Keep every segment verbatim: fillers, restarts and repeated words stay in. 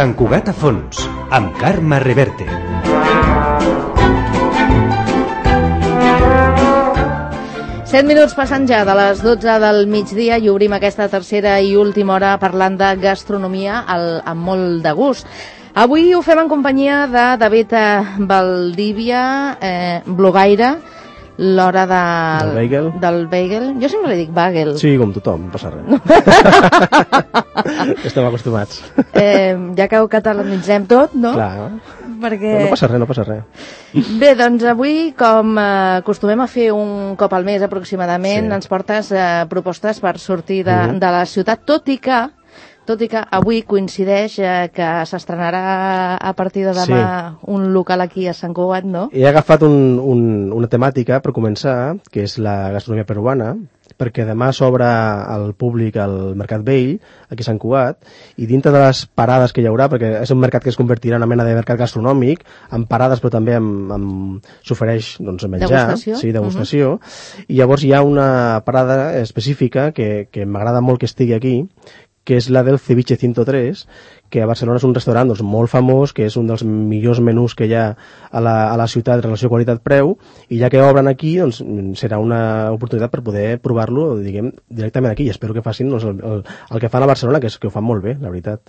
Sant Cugat a fons, amb Carme Reverte. Set minuts passant ja de les dotze del migdia i obrim aquesta tercera i última hora parlant de gastronomia al, amb molt de gust. Avui ho fem en companyia de David Valdívia, eh, blogaire, l'hora de... del bagel. Del bagel. Jo sempre li dic bagel. Sí, com tothom, no passa res. Estem acostumats. Eh, ja que ho catalanitzem tot, no? Clar. Perquè... No passa res, no passa res. Bé, doncs avui, com eh, acostumem a fer un cop al mes aproximadament, sí. ens portes eh, propostes per sortir de, mm. de la ciutat, tot i que tot i que avui coincideix eh, que s'estrenarà a partir de demà sí. un local aquí a Sant Cugat, no? He agafat un, un, una temàtica per començar, que és la gastronomia peruana, perquè demà s'obre al públic el Mercat Vell, aquí a Sant Cugat, i dintre de les parades que hi haurà, perquè és un mercat que es convertirà en una mena de mercat gastronòmic, amb parades però també amb, amb s'ofereix doncs, menjar, degustació. Sí, degustació, uh-huh. i llavors hi ha una parada específica que, que m'agrada molt que estigui aquí, que és la del Ceviche ciento tres, que a Barcelona és un restaurant doncs, molt famós, que és un dels millors menús que hi ha a la, a la ciutat en relació qualitat-preu, i ja que obren aquí, doncs, serà una oportunitat per poder provar-lo, diguem, directament aquí, i espero que facin doncs, el, el, el que fan a Barcelona, que, és, que ho fan molt bé, la veritat.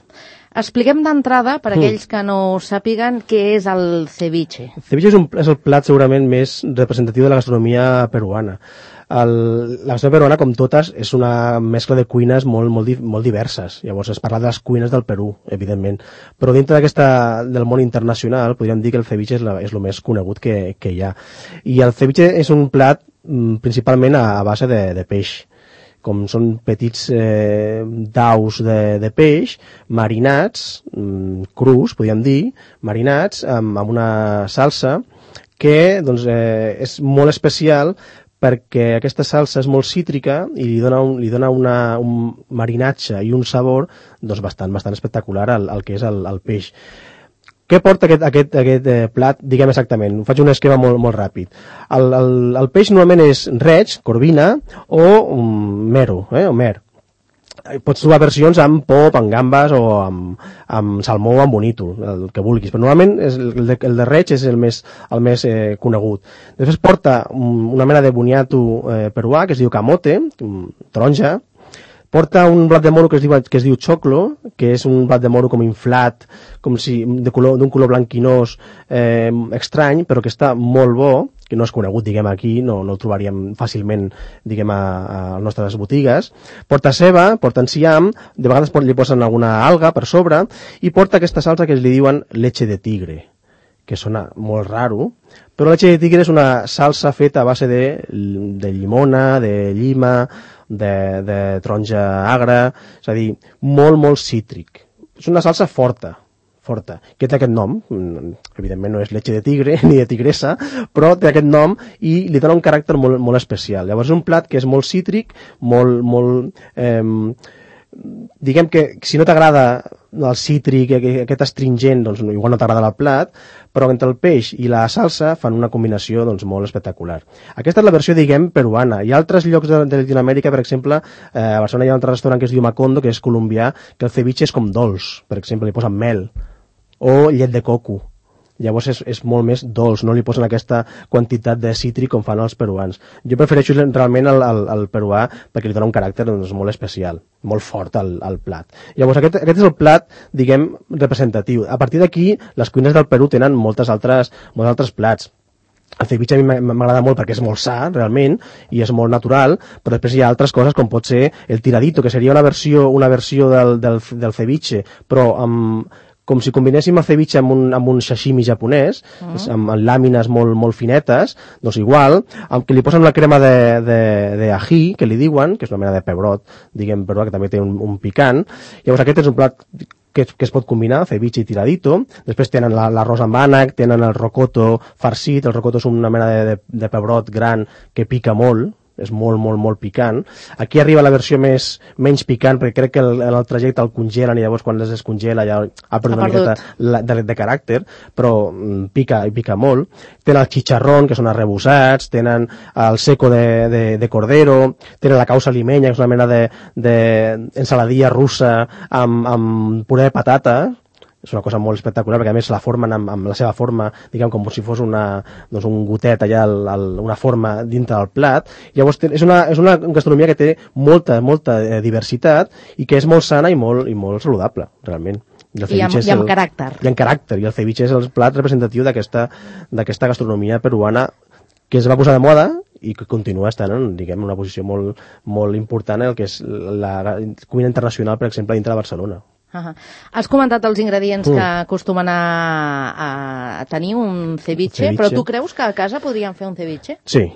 Expliquem d'entrada, per aquells que no sàpiguen, què és el ceviche. El ceviche és, un, és el plat segurament més representatiu de la gastronomia peruana. El, la gastronomia peruana, com totes, és una mescla de cuines molt, molt, molt diverses. Llavors es parla de les cuines del Perú, evidentment. Però dintre d'aquesta del món internacional, podríem dir que el ceviche és, la, és el més conegut que, que hi ha. I el ceviche és un plat mm, principalment a, a base de, de peix. Com són petits eh, daus de, de peix, marinats, mm, crus, podríem dir, marinats amb, amb una salsa que doncs, eh, és molt especial perquè aquesta salsa és molt cítrica i li dona un, li dona una, un marinatge i un sabor doncs, bastant, bastant espectacular al, al que és el, el peix. Què porta aquest, aquest, aquest eh, plat? Diguem exactament, ho faig un esquema molt, molt ràpid. El, el, el peix normalment és reig, corvina o um, mero, eh, o mer. Pots trobar versions amb pop, amb gambes o amb, amb salmó o amb bonítol, el que vulguis, però normalment és el, de, el de reig és el més, el més eh, conegut. Després porta un, una mena de boniato eh, peruà que es diu camote, taronja. Porta un blat de moro que es diu, que es diu choclo, que és un blat de moro com inflat, com si de color, d'un color blanquinós eh, estrany, però que està molt bo, que no és conegut, diguem, aquí, no, no el trobaríem fàcilment, diguem, a, a les nostres botigues. Porta ceba, porta enciam, de vegades li posen alguna alga per sobre, i porta aquesta salsa que li diuen leche de tigre, que sona molt raro, però la leche de tigre és una salsa feta a base de, de llimona, de llima, de, de taronja agra, és a dir, molt, molt cítric. És una salsa forta, forta, que té aquest nom, evidentment no és leche de tigre ni de tigressa, però té aquest nom i li dona un caràcter molt, molt especial. Llavors és un plat que és molt cítric, molt, molt eh, diguem que si no t'agrada el cítric, aquest astringent, doncs igual no t'agrada el plat, però entre el peix i la salsa fan una combinació doncs, molt espectacular. Aquesta és la versió, diguem, peruana. Hi ha altres llocs de, de Latinoamèrica, per exemple, eh, a Barcelona hi ha un altre restaurant que es diu Macondo, que és colombià, que el ceviche és com dolç, per exemple, li posen mel, o llet de coco. Llavors és, és molt més dolç, no li posen aquesta quantitat de cítric com fan els peruans. Jo prefereixo realment el, el, el peruà perquè li dona un caràcter doncs, molt especial, molt fort al, al plat. Llavors aquest, aquest és el plat, diguem, representatiu. A partir d'aquí, les cuines del Perú tenen moltes altres, molts altres plats. El ceviche a mi m'agrada molt perquè és molt sa, realment, i és molt natural, però després hi ha altres coses com pot ser el tiradito, que seria una versió, una versió del, del, del ceviche, però amb... com si combinéssim el ceviche amb un, amb un sashimi japonès, uh -huh. amb, amb làmines molt, molt finetes, doncs igual, amb que li posen una crema de, de, de ají, que li diuen, que és una mena de pebrot, diguem, però que també té un, un picant. Llavors aquest és un plat que, que es pot combinar, ceviche i tiradito. Després tenen l'arròs amb ànec, tenen el rocoto farcit, el rocoto és una mena de, de, de pebrot gran que pica molt, és molt, molt, molt picant. Aquí arriba la versió més, menys picant, perquè crec que el, el trajecte el congelen i llavors quan es descongela ja ha perdut una miqueta de, de caràcter, però mm, pica i pica molt. Tenen el chicharrón, que són arrebossats, tenen el seco de, de, de cordero, tenen la causa limeña, que és una mena de, de ensaladilla russa amb, amb puré de patata, és una cosa molt espectacular, perquè a més la formen amb, amb la seva forma, diguem, com si fos una, doncs un gotet allà, el, el, una forma dintre del plat. Llavors és una, és una gastronomia que té molta, molta eh, diversitat i que és molt sana i molt, i molt saludable, realment. I, I, amb, i amb el, caràcter. I amb caràcter, i el ceviche és el plat representatiu d'aquesta d'aquesta gastronomia peruana que es va posar de moda i que continua estant en, diguem, una posició molt, molt important en el que és la cuina internacional, per exemple, dintre de Barcelona. Uh-huh. Has comentat els ingredients mm. que acostumen a, a tenir un ceviche, ceviche, però tu creus que a casa podríem fer un ceviche? Sí,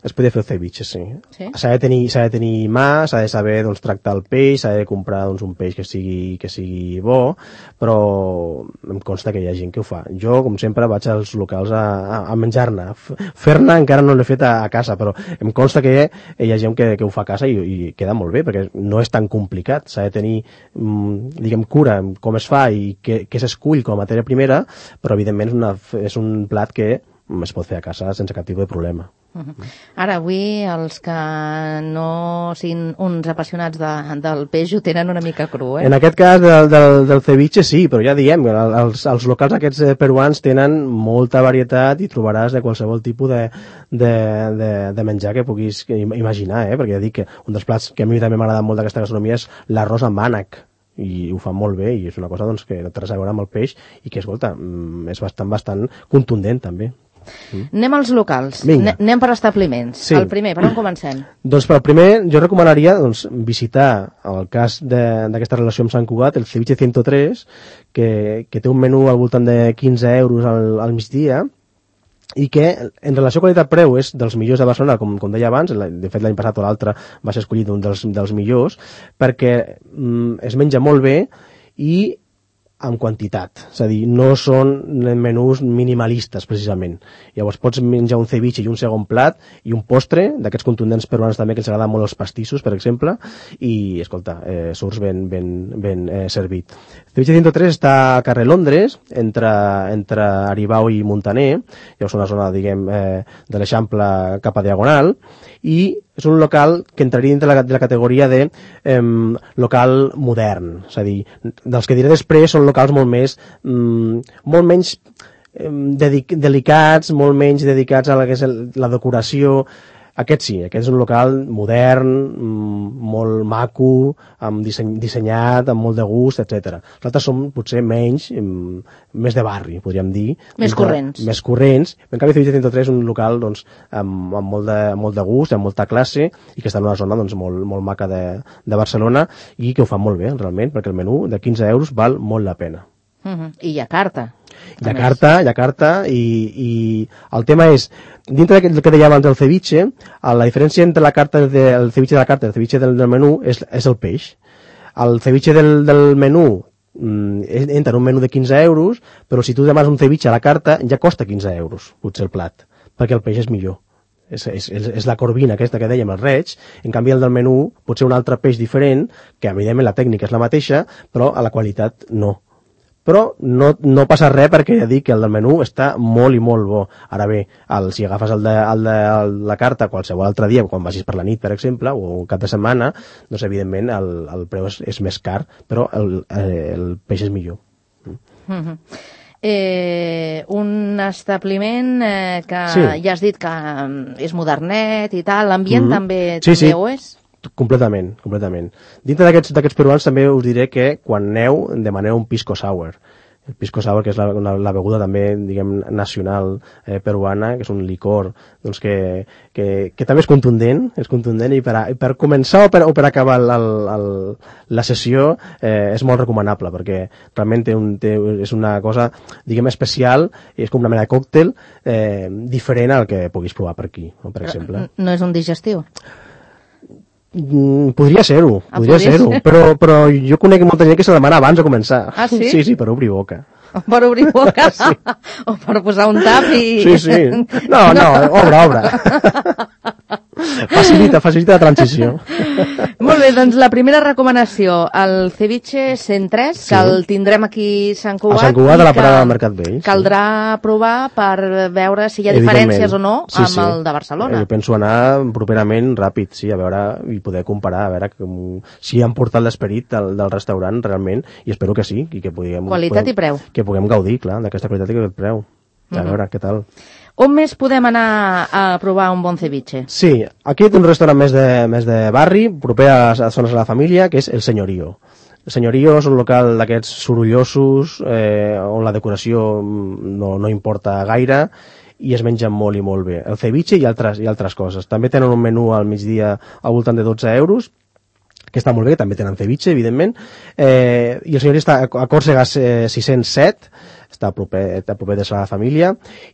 es podria fer el ceviche, sí. sí? S'ha de tenir, s'ha de tenir mà, s'ha de saber doncs, tractar el peix, s'ha de comprar doncs, un peix que sigui, que sigui bo, però em consta que hi ha gent que ho fa. Jo, com sempre, vaig als locals a, a, a menjar-ne. Fer-ne encara no l'he fet a, a casa, però em consta que hi ha gent que, que ho fa a casa i, i queda molt bé, perquè no és tan complicat. S'ha de tenir, mm, diguem, cura com es fa i què, què s'escull com a matèria primera, però evidentment és, una, és un plat que es pot fer a casa sense cap tipus de problema. Uh-huh. Ara, avui, els que no siguin uns apassionats de, del peix ho tenen una mica cru, eh? En aquest cas del, del, del ceviche sí, però ja diem, els, els locals aquests peruans tenen molta varietat i trobaràs de qualsevol tipus de, de, de, de menjar que puguis imaginar, eh? Perquè ja dic que un dels plats que a mi també m'ha agradat molt d'aquesta gastronomia és l'arròs amb ànec, i ho fan molt bé i és una cosa doncs, que no té res a veure amb el peix i que, escolta, és bastant, bastant contundent també. Mm. Anem als locals. Vinga. Anem per establiments. Sí. El primer, per on comencem? Doncs per el primer jo recomanaria doncs, visitar el cas d'aquesta relació amb Sant Cugat, el Ceviche cent tres, que, que té un menú al voltant de quinze euros al, al migdia i que en relació qualitat-preu és dels millors de Barcelona, com, com deia abans, de fet l'any passat o l'altre va ser escollit un dels, dels millors, perquè mm, es menja molt bé i amb quantitat, és a dir, no són menús minimalistes precisament. Llavors pots menjar un ceviche i un segon plat i un postre, d'aquests contundents peruans també que els agraden molt els pastissos, per exemple, i, escolta, eh, surts ben, ben, ben eh, servit. Ceviche cent tres està a carrer Londres, entre, entre Aribau i Montaner, llavors una zona, diguem, eh, de l'Eixample cap a Diagonal, i és un local que entraria dintre la, de la categoria de eh, local modern, és a dir, dels que diré després són locals molt més, mm, molt menys eh, dedic, delicats, molt menys dedicats a la que és el, la decoració. Aquest sí, aquest és un local modern, mm, molt maco, amb disseny, dissenyat, amb molt de gust, etcètera. Els altres són potser menys, mm, més de barri, podríem dir. Més corrents. Més corrents. En canvi, Ceviche cent tres és un local doncs, amb, amb, molt de, molt de gust, amb molta classe, i que està en una zona doncs, molt, molt maca de, de Barcelona, i que ho fa molt bé, realment, perquè el menú de quinze euros val molt la pena. Uh-huh. I hi ha carta. Hi ha carta, hi ha carta, i, i el tema és, dintre del que deia abans del ceviche, la diferència entre la carta del ceviche de la carta i el ceviche del, del menú és, és el peix. El ceviche del, del menú mm, entra en un menú de quinze euros, però si tu demanes un ceviche a la carta ja costa quinze euros, potser el plat, perquè el peix és millor. És, és, és la corvina aquesta que dèiem, el reig. En canvi el del menú pot ser un altre peix diferent, que evidentment la tècnica és la mateixa, però a la qualitat no. Però no, no passa res perquè ja dic que el del menú està molt i molt bo. Ara bé, el, si agafes el de, el de el, la carta qualsevol altre dia, quan vagis per la nit, per exemple, o un cap de setmana, doncs evidentment el, el preu és, és més car, però el, el peix és millor. Mm-hmm. Eh, un establiment eh, que sí. Ja has dit que és modernet i tal, l'ambient mm-hmm. també, sí, també sí. ho és? Completament, completament. Dintre d'aquests d'aquests peruans també us diré que quan aneu demaneu un pisco sour. El pisco sour, que és la, una, la beguda també, diguem, nacional eh, peruana, que és un licor doncs que, que, que també és contundent, és contundent i per, a, per començar o per, o per acabar el, el, la sessió eh, és molt recomanable, perquè realment té un, té, és una cosa, diguem, especial, i és com una mena de còctel eh, diferent al que puguis provar per aquí, no? Per exemple. No és un digestiu? Mm, podria ser-ho, ah, podria ser-ho, ser però, però jo conec molta gent que se demana abans de començar. Ah, sí? Sí, sí, per obrir boca. Per obrir boca? Sí. O per posar un tap i... Sí, sí. No, no, obre, obre. facilita, facilita la transició. Molt bé, doncs la primera recomanació, el ceviche cent tres, sí. que el tindrem aquí a Sant Cugat. A Sant Cugat, a la parada del Mercat Vell. Caldrà sí. provar per veure si hi ha diferències o no sí, amb sí. el de Barcelona. Jo penso anar properament ràpid, sí, a veure, i poder comparar, a veure com, si han portat l'esperit del, del restaurant realment, i espero que sí. I que puguem, qualitat puguem, i preu. Que puguem gaudir, clar, d'aquesta qualitat i aquest preu. A veure, mm. què tal. On més podem anar a provar un bon ceviche? Sí, aquí té un restaurant més de, més de barri, proper a les zones de la família, que és El Señorío. El Señorío és un local d'aquests sorollosos, eh, on la decoració no, no importa gaire, i es menja molt i molt bé. El ceviche i altres, i altres coses. També tenen un menú al migdia al voltant de dotze euros, que està molt bé, també tenen ceviche, evidentment, eh, i el Señorío està a Còrsega eh, sis-cents set, està a proper, a proper de la família,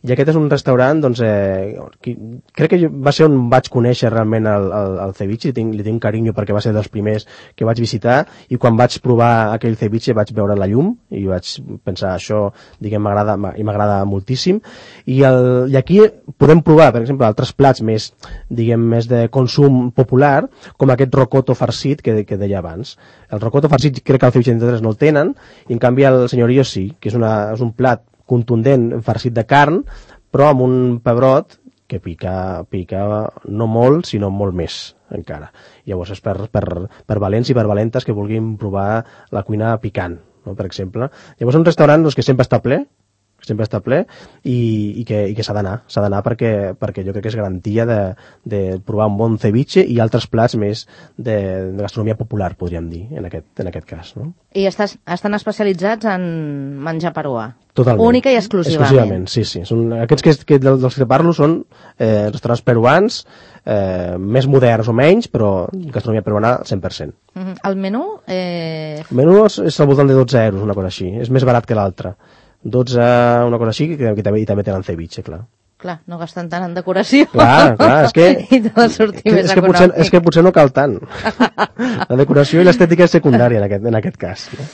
i aquest és un restaurant, doncs, eh, que, crec que va ser on vaig conèixer realment el, el, el ceviche, li tinc, li tinc carinyo perquè va ser dels primers que vaig visitar, i quan vaig provar aquell ceviche vaig veure la llum, i vaig pensar, això, diguem, m'agrada, i m'agrada moltíssim, i, el, i aquí podem provar, per exemple, altres plats més, diguem, més de consum popular, com aquest rocoto farcit que, que deia abans. El rocoto farcit crec que el ceviche trenta tres no el tenen, i en canvi el Señorío sí, que és, una, és un plat contundent farcit de carn, però amb un pebrot que pica, pica no molt, sinó molt més encara. Llavors és per, per, per valents i per valentes que vulguin provar la cuina picant, no? Per exemple. Llavors és un restaurant doncs, que sempre està ple, sempre està ple, i, i que, i que s'ha d'anar, s'ha d'anar perquè, perquè jo crec que és garantia de, de provar un bon ceviche i altres plats més de, de gastronomia popular, podríem dir, en aquest, en aquest cas. No? I estàs, estan especialitzats en menjar peruà? Totalment. Única i exclusivament? Exclusivament, sí, sí. Són, aquests que, que, dels que parlo són eh, restaurants peruans, eh, més moderns o menys, però gastronomia peruana al cent per cent. Mm-hmm. El menú? Eh... El menú és, és al voltant de dotze euros, una cosa així. És més barat que l'altre. dotze, una cosa així, que, que també, i també tenen ceviche, clar. Clar, no gasten tant en decoració. Clar, clar, és que... I tot sortir que, més és que econòmic. potser, és que potser no cal tant. La decoració i l'estètica és secundària en aquest, en aquest cas. No?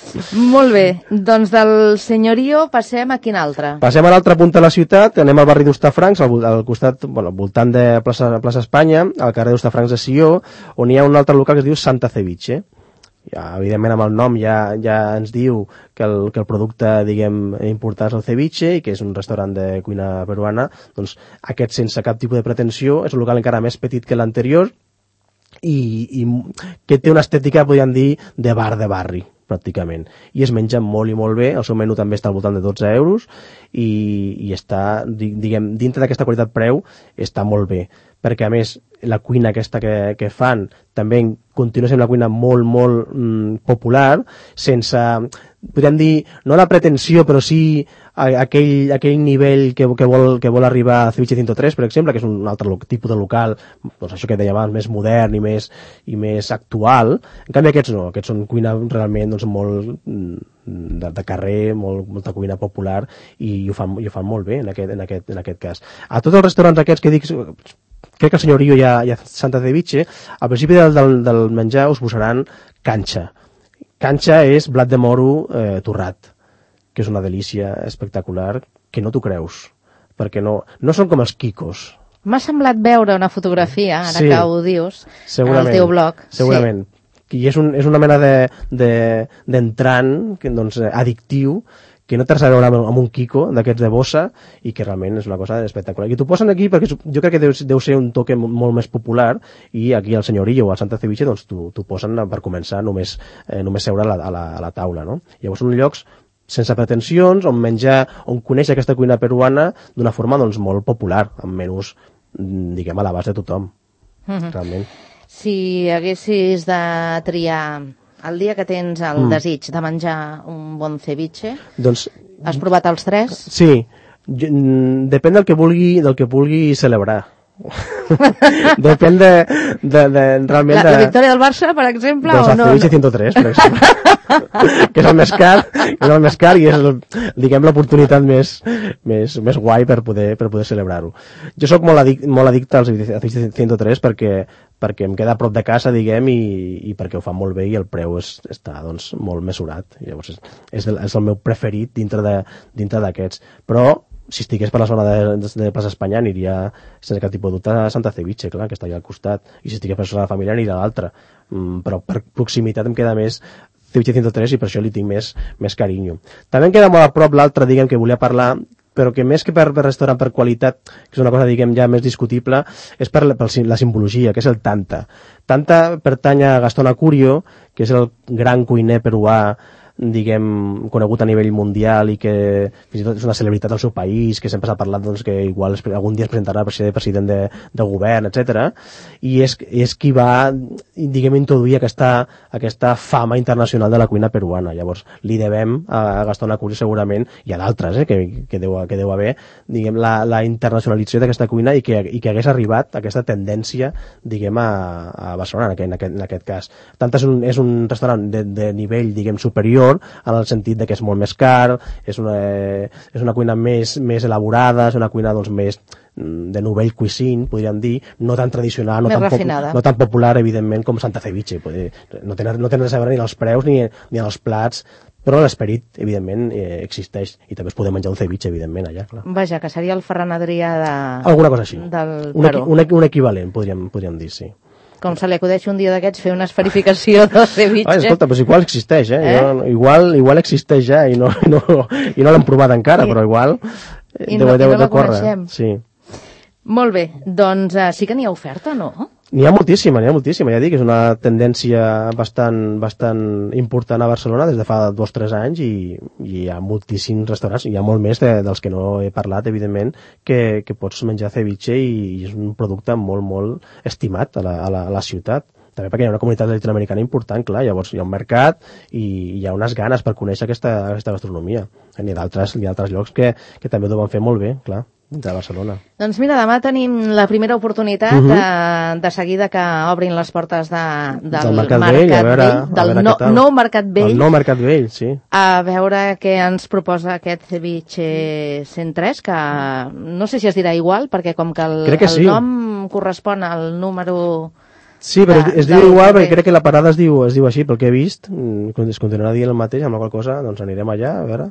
Molt bé, doncs del Señorío passem a quin altre? Passem a l'altra punta de la ciutat, anem al barri d'Hostafrancs, al, al costat, bueno, al voltant de plaça, plaça Espanya, al carrer d'Hostafrancs de Sió, on hi ha un altre local que es diu Santa Ceviche. Ja, evidentment amb el nom ja, ja ens diu que el, que el producte, diguem, important és el ceviche i que és un restaurant de cuina peruana, doncs aquest sense cap tipus de pretensió, és un local encara més petit que l'anterior i, i que té una estètica, podríem dir, de bar de barri, pràcticament. I es menja molt i molt bé, el seu menú també està al voltant de dotze euros i, i està, diguem, dintre d'aquesta qualitat-preu està molt bé, perquè a més la cuina aquesta que, que fan també continua sent una cuina molt, molt mm, popular, sense, podríem dir, no la pretensió, però sí aquell, aquell nivell que, que, vol, que vol arribar a Ceviche cent tres, per exemple, que és un altre tipus de local, doncs això que dèiem abans, més modern i més, i més actual. En canvi aquests no, aquests són cuina realment doncs, molt de, de carrer, molt, molta cuina popular i ho fan, i ho fan molt bé en aquest, en, aquest, en aquest cas. A tots els restaurants aquests que dic, crec que el Señorío i a, i a Santa Ceviche, al principi del, del, del menjar us posaran canxa. Canxa és blat de moro eh, torrat, que és una delícia espectacular, que no t'ho creus, perquè no, no són com els quicos. M'ha semblat veure una fotografia, ara sí, que ho dius, al teu blog. Segurament. Sí. I és, un, és una mena d'entrant, de, de, doncs, addictiu, que no té res a veure amb un quico d'aquests de bossa i que realment és una cosa espectacular. I t'ho posen aquí perquè jo crec que deu, deu ser un toque molt més popular i aquí al Señorío o al Santa Ceviche doncs t'ho posen per començar només, eh, només seure a la, a, la, a la taula. No? Llavors són llocs sense pretensions, on menjar, on conèixer aquesta cuina peruana d'una forma doncs, molt popular, amb menús, diguem, a l'abast de tothom. Mm-hmm. Realment. Si haguessis de triar el dia que tens el mm. desig de menjar un bon ceviche, doncs, has provat els tres? Sí, jo, depèn del que vulgui, del que vulgui celebrar. Depèn de, de, de realment la, de... la victòria del Barça, per exemple, doncs o no? Doncs el Ceviche cent tres, per exemple. Que és el més car, és el més car i és, el, diguem, l'oportunitat més, més, més guai per poder, per poder celebrar-ho. Jo sóc molt, adic, molt addicte al Ceviche cent tres perquè, perquè em queda a prop de casa, diguem, i, i perquè ho fa molt bé i el preu és, està doncs, molt mesurat. Llavors és, és, el, és el meu preferit dintre de, dintre d'aquests. Però si estigués per la zona de, de, de Plaça Espanya aniria sense cap tipus de dubte a Santa Ceviche, clar, que està allà al costat, i si estigués per la zona familiar aniria a l'altra, mm, però per proximitat em queda més Ceviche cent tres i per això li tinc més, més carinyo. També em queda molt a prop l'altre, diguem, que volia parlar, però que més que per, per restaurant per qualitat, que és una cosa, diguem, ja més discutible, és per la, per la simbologia, que és el Tanta. Tanta pertany a Gastón Acurio, que és el gran cuiner peruà, diguem, conegut a nivell mundial i que fins i tot és una celebritat del seu país, que sempre s'ha parlat doncs, que igual es, algun dia es presentarà per ser president de, de govern, etcètera. I és, és qui va, diguem, introduir aquesta, aquesta fama internacional de la cuina peruana. Llavors, li devem a Gastón Acurio segurament, i a d'altres, eh, que, que, deu, que deu haver, diguem, la, la internacionalització d'aquesta cuina i que, i que hagués arribat aquesta tendència, diguem, a, a Barcelona, en aquest, en aquest cas. Tant és un, és un restaurant de, de nivell, diguem, superior, en el sentit de que és molt més car, és una, és una cuina més, més elaborada, és una cuina doncs, més de novell cuisine, podríem dir, no tan tradicional, no tan, no tan popular, evidentment, com Santa Ceviche. No tenen, no tenen res a veure ni els preus ni, ni els plats, però l'esperit, evidentment, eh, existeix, i també es podem menjar un ceviche, evidentment, allà, clar. Vaja, que seria el Ferran Adrià de... Alguna cosa així. Del un, equi, un, un equivalent, podríem, podríem dir, sí. Com se li acudeix un dia d'aquests fer una esferificació del ceviche. Ah, escolta, però igual existeix, eh? eh? Jo, igual, igual existeix ja i no, no, i no l'hem provat encara, I, però igual eh, i deu, no, deu, i no deu córrer. Sí. Molt bé, doncs uh, sí que n'hi ha oferta, no? N'hi ha moltíssima, n'hi ha moltíssima, ja dic, és una tendència bastant, bastant important a Barcelona des de fa dos o tres anys i, i hi ha moltíssims restaurants, hi ha molt més de, dels que no he parlat, evidentment, que, que pots menjar ceviche i, i és un producte molt, molt estimat a la, a la, a la ciutat. També perquè hi ha una comunitat latinoamericana important, clar, llavors hi ha un mercat i hi ha unes ganes per conèixer aquesta, aquesta gastronomia. N'hi ha d'altres llocs que, que també ho deuen fer molt bé, clar, de Barcelona. Doncs mira, demà tenim la primera oportunitat uh -huh. de, de seguida que obrin les portes de, del, del Mercat, mercat Vell, a veure, Vell del a veure no, nou Mercat Vell. El nou Mercat Vell, sí. A veure què ens proposa aquest Ceviche cent tres, que no sé si es dirà igual, perquè com que el, que el sí. nom correspon al número... Sí, però de, es diu igual perquè crec que la parada es diu, es diu així, pel que he vist, es continuarà dient el mateix, amb la qual cosa doncs anirem allà, a veure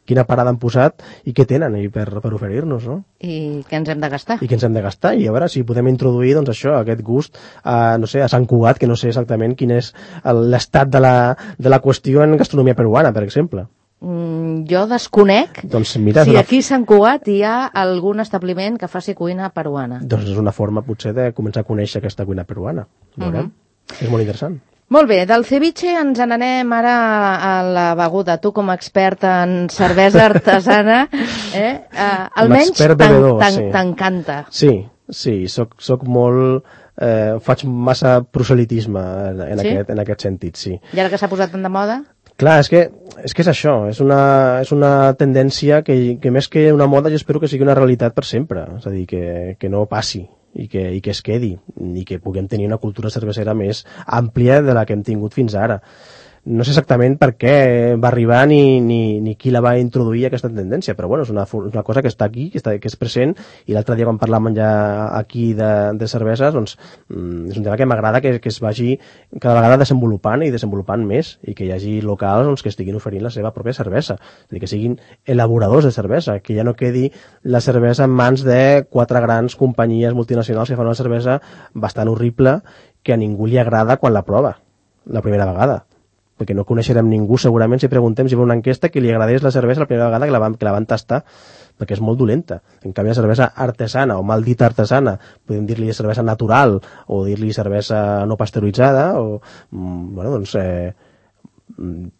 quina parada han posat i què tenen i per, per oferir-nos, no? I què ens hem de gastar. I què ens hem de gastar, i a veure si podem introduir, doncs això, aquest gust a, no sé, a Sant Cugat, que no sé exactament quin és l'estat de la, de la qüestió en gastronomia peruana, per exemple. Mm, jo desconec doncs mira, si una... aquí a Sant Cugat hi ha algun establiment que faci cuina peruana. Doncs és una forma, potser, de començar a conèixer aquesta cuina peruana. Veurem. Uh -huh. És molt interessant. Molt bé, del ceviche ens n'anem ara a la beguda. Tu, com a expert en cervesa artesana, eh? Uh, almenys t'encanta. Sí, sí, soc, soc molt... Eh, faig massa proselitisme en, en, sí? aquest, en aquest sentit, sí. I ara que s'ha posat tant de moda? Clar, és que, és que és això, és una, és una tendència que, que més que una moda jo espero que sigui una realitat per sempre, és a dir, que, que no passi i que, i que es quedi i que puguem tenir una cultura cervesera més àmplia de la que hem tingut fins ara. No sé exactament per què va arribar ni, ni, ni qui la va introduir aquesta tendència, però bueno, és una, una cosa que està aquí, que, està, que és present, i l'altre dia quan parlàvem ja aquí de, de cerveses, doncs mm, és un tema que m'agrada que, que es vagi cada vegada desenvolupant i desenvolupant més, i que hi hagi locals doncs, que estiguin oferint la seva pròpia cervesa, és a dir, que siguin elaboradors de cervesa, que ja no quedi la cervesa en mans de quatre grans companyies multinacionals que fan una cervesa bastant horrible que a ningú li agrada quan la prova, la primera vegada. Perquè no coneixerem ningú segurament si preguntem si va una enquesta que li agradés la cervesa la primera vegada que la van, que la van tastar, perquè és molt dolenta. En canvi, la cervesa artesana, o mal dita artesana, podem dir-li cervesa natural, o dir-li cervesa no pasteuritzada, o, bueno, doncs, eh,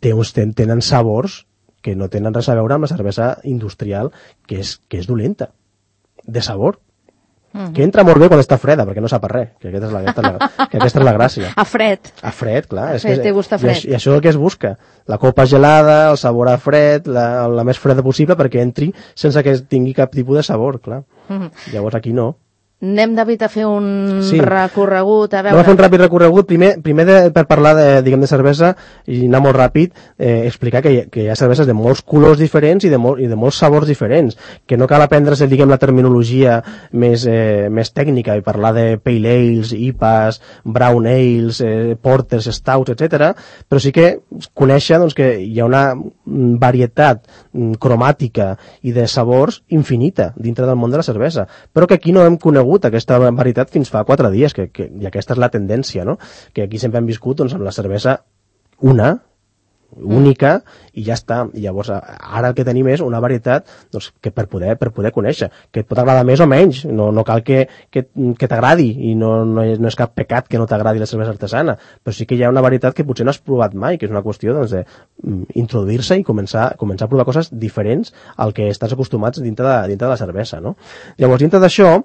té uns, tenen sabors que no tenen res a veure amb la cervesa industrial, que és, que és dolenta, de sabor. Uh-huh. Que entra molt bé quan està freda, perquè no sap a res, que aquesta és la, aquesta és la, que aquesta és la gràcia. A fred. A fred, clar. A és fred, que, té gust a fred. I, I això és el que es busca. La copa gelada, el sabor a fred, la, la més freda possible perquè entri sense que tingui cap tipus de sabor, clar. Uh-huh. Llavors aquí no. Anem, David, a fer un Sí. recorregut, a Anem a fer veure... un ràpid recorregut. Primer, primer de, per parlar de, diguem, de cervesa i anar molt ràpid, eh, explicar que hi, que hi ha cerveses de molts colors diferents i de, molt, i de molts sabors diferents, que no cal aprendre's, diguem, la terminologia més, eh, més tècnica i parlar de pale ales, I P As, brown ales, eh, porters, stouts, etcètera, però sí que conèixer, doncs, que hi ha una varietat cromàtica i de sabors infinita dintre del món de la cervesa, però que aquí no hem conegut aquesta varietat fins fa quatre dies, que, que, i aquesta és la tendència, no? Que aquí sempre hem viscut, doncs, amb la cervesa una, única, i ja està. I llavors, ara el que tenim és una varietat, doncs, que per poder, per poder conèixer, que et pot agradar més o menys, no, no cal que, que, que t'agradi, i no, no, és, no és cap pecat que no t'agradi la cervesa artesana, però sí que hi ha una varietat que potser no has provat mai, que és una qüestió, doncs, de introduir-se i començar, començar a provar coses diferents al que estàs acostumats dintre de, dintre de la cervesa, no? Llavors, dintre d'això,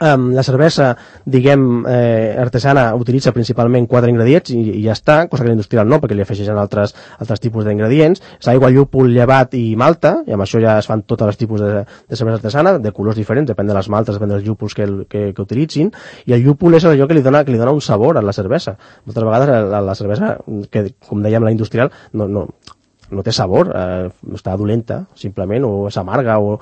Um, la cervesa, diguem, eh, artesana utilitza principalment quatre ingredients i, i ja està, cosa que l'industrial no, perquè li afegeixen altres, altres tipus d'ingredients. És aigua, llúpol, llevat i malta, i amb això ja es fan tots els tipus de, de cervesa artesana, de colors diferents, depèn de les maltes, depèn dels llúpols que, que, que utilitzin, i el llúpol és allò que li dona, que li dona un sabor a la cervesa. Moltes vegades la, la cervesa, que com dèiem, la industrial, no, no, no té sabor, eh, està dolenta, simplement, o és amarga, o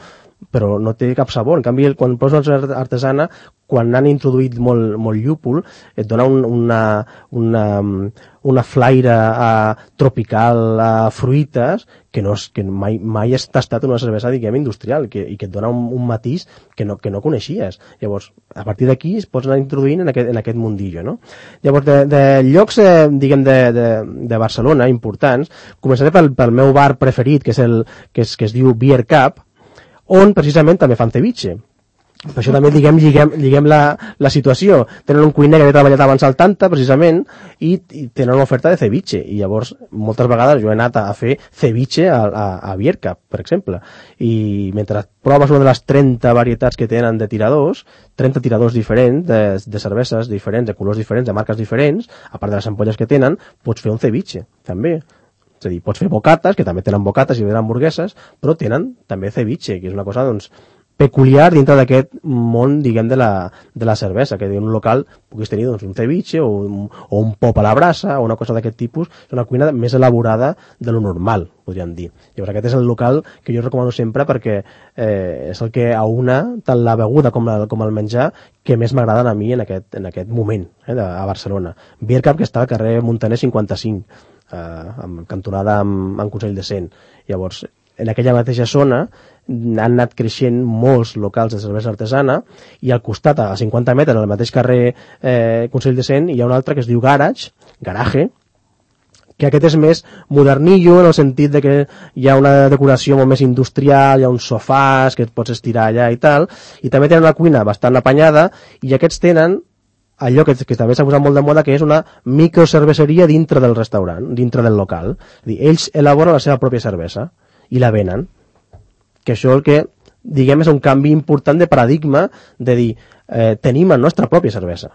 però no té cap sabor. En canvi, quan poses una artesana, quan han introduït molt, molt llúpol, et dona un, una, una, una flaire uh, tropical, uh, fruites, que, no és, que mai, mai has tastat una cervesa, diguem, industrial, que, i que et dona un, un matís que no, que no coneixies. Llavors, a partir d'aquí es pots anar introduint en aquest, en aquest mundillo, no? Llavors, de, de llocs, eh, diguem, de, de, de Barcelona, importants, començaré pel, pel meu bar preferit, que és el que, és, que es diu Beer Cup, on precisament també fan ceviche. Per això també, diguem, lliguem, lliguem la, la situació. Tenen un cuiner que havia treballat abans al Tanta, precisament, i, i tenen una oferta de ceviche. I llavors, moltes vegades jo he anat a, a fer ceviche a, a, a Beer Cup, per exemple. I mentre proves una de les trenta varietats que tenen de tiradors, trenta tiradors diferents, de, de cerveses diferents, de colors diferents, de marques diferents, a part de les ampolles que tenen, pots fer un ceviche, també. És a dir, pots fer bocates, que també tenen bocates i tenen hamburgueses, però tenen també ceviche, que és una cosa, doncs, peculiar dintre d'aquest món, diguem, de la, de la cervesa, que en un local puguis tenir, doncs, un ceviche o un, o un pop a la brasa o una cosa d'aquest tipus. És una cuina més elaborada de lo normal, podríem dir. Llavors, aquest és el local que jo recomano sempre perquè eh, és el que aúna tant la beguda com, la, com el menjar que més m'agraden a mi en aquest, en aquest moment, eh, de, a Barcelona. Beer Cup, que està al carrer Montaner cinquanta-cinc, eh, amb cantonada amb, amb Consell de Cent. Llavors, en aquella mateixa zona han anat creixent molts locals de cervesa artesana i al costat, a cinquanta metres, en el mateix carrer eh, Consell de Cent, hi ha un altre que es diu Garage, Garage, que aquest és més modernillo en el sentit de que hi ha una decoració molt més industrial, hi ha uns sofàs que et pots estirar allà i tal, i també tenen una cuina bastant apanyada, i aquests tenen allò que, que també s'ha posat molt de moda, que és una microcerveseria dintre del restaurant, dintre del local. És a dir, ells elaboren la seva pròpia cervesa i la venen. Que això el que, diguem, és un canvi important de paradigma de dir, eh, tenim la nostra pròpia cervesa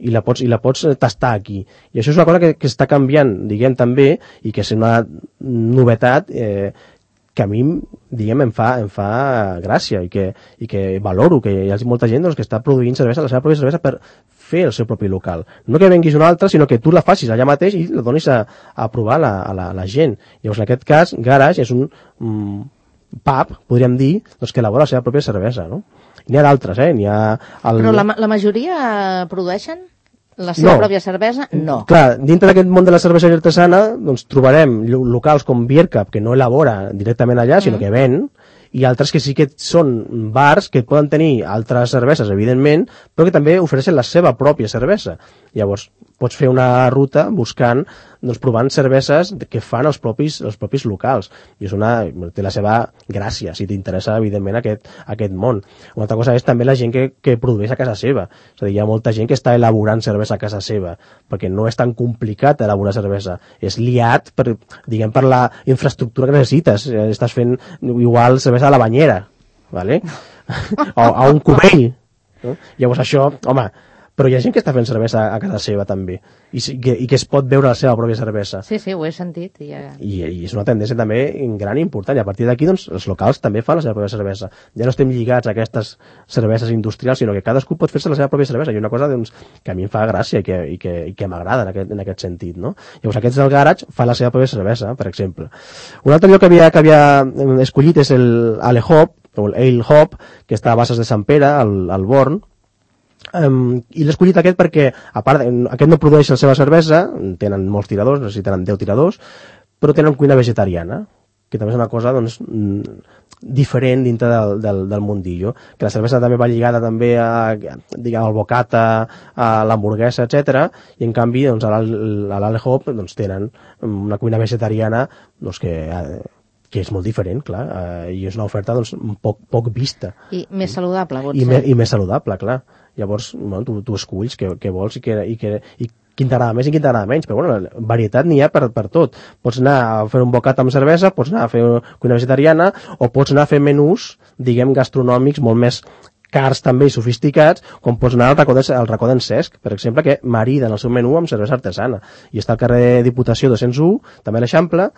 i la pots, i la pots tastar aquí. I això és una cosa que, que està canviant, diguem, també, i que és una novetat eh, que a mi, diguem, em fa, em fa gràcia i que, i que valoro, que hi ha molta gent doncs, que està produint cervesa, la seva pròpia cervesa per fer el seu propi local. No que venguis una altra, sinó que tu la facis allà mateix i la donis a, a provar la, a, la, a la gent. Llavors, en aquest cas, Garage és un mm, pub, podríem dir, doncs, que elabora la seva pròpia cervesa, no? N'hi ha d'altres, eh? N'hi ha el... Però la, la majoria produeixen la seva no. pròpia cervesa? No. Clar, dintre d'aquest món de la cervesa artesana, doncs trobarem locals com Beer Cup, que no elabora directament allà, sinó mm. que ven, i altres que sí que són bars que poden tenir altres cerveses, evidentment, però que també ofereixen la seva pròpia cervesa. Llavors, pots fer una ruta buscant, doncs, provant cerveses que fan els propis, els propis locals. I és una, té la seva gràcia, si t'interessa, evidentment, aquest, aquest món. Una altra cosa és també la gent que, que produeix a casa seva. És a dir, hi ha molta gent que està elaborant cervesa a casa seva, perquè no és tan complicat elaborar cervesa. És liat, per, diguem, per la infraestructura que necessites. Estàs fent igual cervesa a la banyera, ¿vale? o a un cubell. No? Llavors això, home, però hi ha gent que està fent cervesa a casa seva també, i, que, i que es pot veure la seva pròpia cervesa. Sí, sí, ho he sentit. I, ja... I, i és una tendència també gran i important, i a partir d'aquí doncs, els locals també fan la seva pròpia cervesa. Ja no estem lligats a aquestes cerveses industrials, sinó que cadascú pot fer-se la seva pròpia cervesa, i una cosa doncs, que a mi em fa gràcia i que, i que, i que m'agrada en, aquest, en aquest sentit, no? Llavors aquests del Garage fan la seva pròpia cervesa, per exemple. Un altre lloc que havia, que havia escollit és el Ale Hop, o el Ale Hop, que està a Basses de Sant Pere, al, al Born. Um, i l'he escollit aquest perquè, a part, aquest no produeix la seva cervesa, tenen molts tiradors, no sé si tenen deu tiradors, però tenen cuina vegetariana, que també és una cosa doncs, diferent dintre del, del, del mundillo, que la cervesa també va lligada també a, diguem, al bocata, a l'hamburguesa, etcètera, i en canvi doncs, a l'Ale Hop doncs, tenen una cuina vegetariana doncs, que, que és molt diferent, clar, eh, i és una oferta doncs, poc, poc vista. I més saludable, pot I, ser. me, I més saludable, clar. Llavors, bueno, tu, tu esculls què, què vols i, que, i, que, i quin t'agrada més i quin t'agrada menys, però bueno, varietat n'hi ha per, per tot. Pots anar a fer un bocat amb cervesa, pots anar a fer cuina vegetariana, o pots anar a fer menús, diguem, gastronòmics molt més cars també i sofisticats, com pots anar al racó, de, al racó d'en Cesc, per exemple, que marida en el seu menú amb cervesa artesana. I està al carrer Diputació dos-cents u, també a l'Eixample,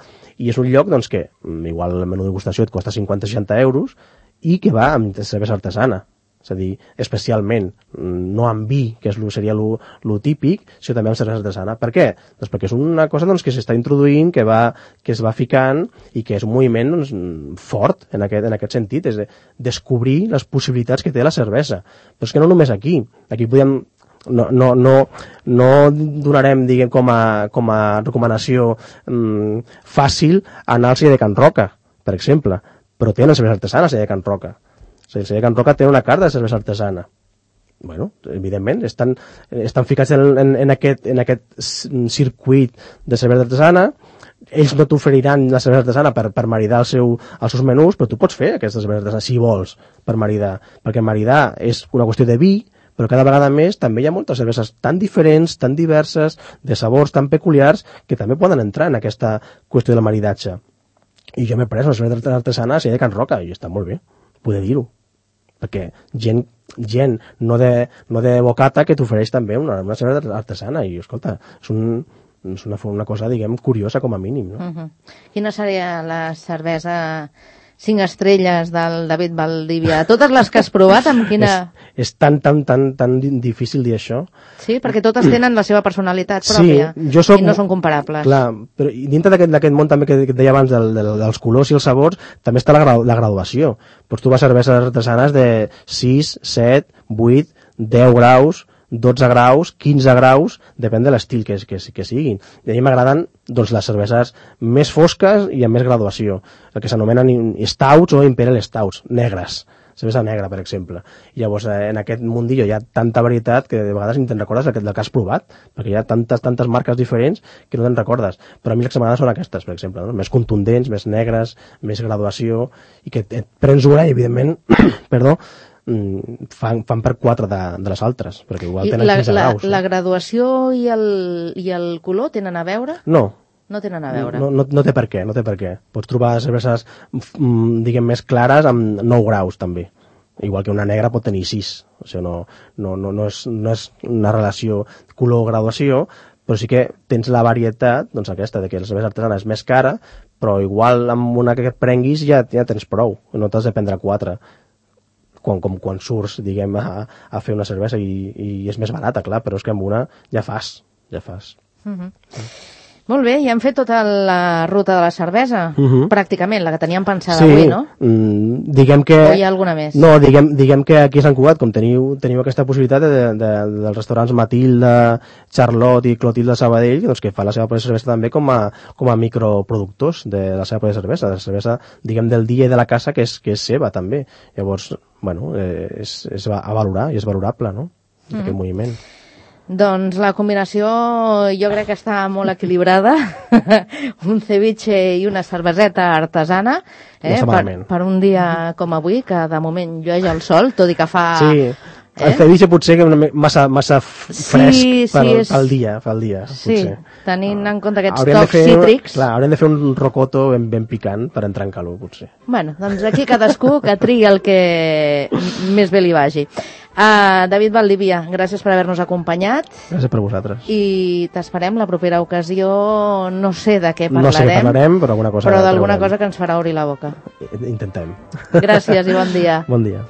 i és un lloc doncs, que igual el menú de degustació et costa cinquanta a seixanta euros i que va amb cervesa artesana. És a dir, especialment, no amb vi, que és lo, seria lo, lo típic, sinó també amb cervesa artesana. Per què? Doncs perquè és una cosa doncs, que s'està introduint, que, va, que es va ficant i que és un moviment doncs, fort en aquest, en aquest sentit, és de descobrir les possibilitats que té la cervesa. Però és que no només aquí. Aquí podem no, no, no, no donarem diguem, com, a, com a recomanació mm, fàcil anar al celler de Can Roca, per exemple, però tenen cervesa artesana al celler de Can Roca. El celler de Can Roca té una carta de cervesa artesana. Bueno, evidentment, estan, estan ficats en, en, en, aquest, en aquest circuit de cervesa artesana. Ells no t'oferiran la cervesa artesana per, per maridar el seu, els seus menús, però tu pots fer aquesta cervesa artesana si vols per maridar, perquè maridar és una qüestió de vi, però cada vegada més també hi ha moltes cerveses tan diferents, tan diverses, de sabors tan peculiars, que també poden entrar en aquesta qüestió del maridatge. I jo m'he pres una cervesa artesana a celler de Can Roca, i està molt bé, poder dir-ho. Perquè gent, gent no, de, no de bocata que t'ofereix també una, una cervesa artesana, i escolta, és, un, és una, una cosa, diguem, curiosa com a mínim, no? Uh-huh. Quina seria la cervesa cinc estrelles del David Valdivia? Totes les que has provat, amb quina... És, és tan, tan, tan, tan difícil dir això. Sí, perquè totes tenen la seva personalitat pròpia, sí, jo soc, i no són comparables. Clar, però dintre d'aquest món també que, que et deia abans del, del, dels colors i els sabors, també està la, grau, la graduació. Pues tu vas a cerveses artesanes de sis, set, vuit, deu graus, dotze graus, quinze graus, depèn de l'estil que, que, que siguin. I a mi m'agraden doncs, les cerveses més fosques i amb més graduació, el que s'anomenen stouts o imperial stouts, negres, cervesa negra, per exemple. I llavors, en aquest mundillo hi ha tanta varietat que de vegades ni te'n recordes del que has provat, perquè hi ha tantes, tantes marques diferents que no te'n recordes. Però a mi les que m'agraden són aquestes, per exemple, no? Més contundents, més negres, més graduació, i que et prens una i, evidentment, perdó, fan, fan per quatre de, de les altres, perquè igual tenen la, quinze la, graus. La graduació i el, i el color tenen a veure? No. No tenen a veure? No, no, no té per què, no té per què. Pots trobar cerveses, diguem, més clares amb nou graus, també. Igual que una negra pot tenir sis. O sigui, no, no, no, no, és, no és una relació color-graduació, però sí que tens la varietat, doncs aquesta, de que la cervesa artesana és més cara, però igual amb una que et prenguis ja, ja tens prou, no t'has de prendre quatre. Quan, com quan surts, diguem, a, a fer una cervesa i, i és més barata, clar, però és que amb una ja fas, ja fas. Uh-huh. Molt bé, ja hem fet tota la ruta de la cervesa, uh-huh. pràcticament, la que teníem pensada sí, avui, no? Mm, diguem que... O hi ha alguna més? No, diguem, diguem que aquí a Sant Cugat, com teniu, teniu aquesta possibilitat de, de, de, dels restaurants Matilda, Charlotte i Clotilde Sabadell, doncs que fa la seva pròpia cervesa també com a, com a microproductors de la seva pròpia cervesa, de la cervesa, diguem, del dia i de la casa, que és, que és seva també. Llavors, bueno, eh, és, és a valorar i és valorable, no?, mm. aquest moviment. Doncs la combinació jo crec que està molt equilibrada. Un ceviche i una cerveseta artesana, eh? No per, per un dia com avui, que de moment llueix el sol, tot i que fa, sí. Eh? El ceviche potser que una massa, massa fresc sí, sí, pel, és... pel dia, pel dia Sí, potser. tenint en compte aquests Hauríem de tocs fer, cítrics. Clar, haurem de fer un rocoto ben, ben picant per entrar en calor, potser. Bueno, doncs aquí cadascú que triï el que més bé li vagi. Uh, David Valdivia, gràcies per haver-nos acompanyat. Gràcies per vosaltres. I t'esperem la propera ocasió, no sé de què parlarem. No sé què parlarem, però alguna cosa... Però d'alguna cosa que ens farà obrir la boca. Intentem. Gràcies i bon dia. Bon dia.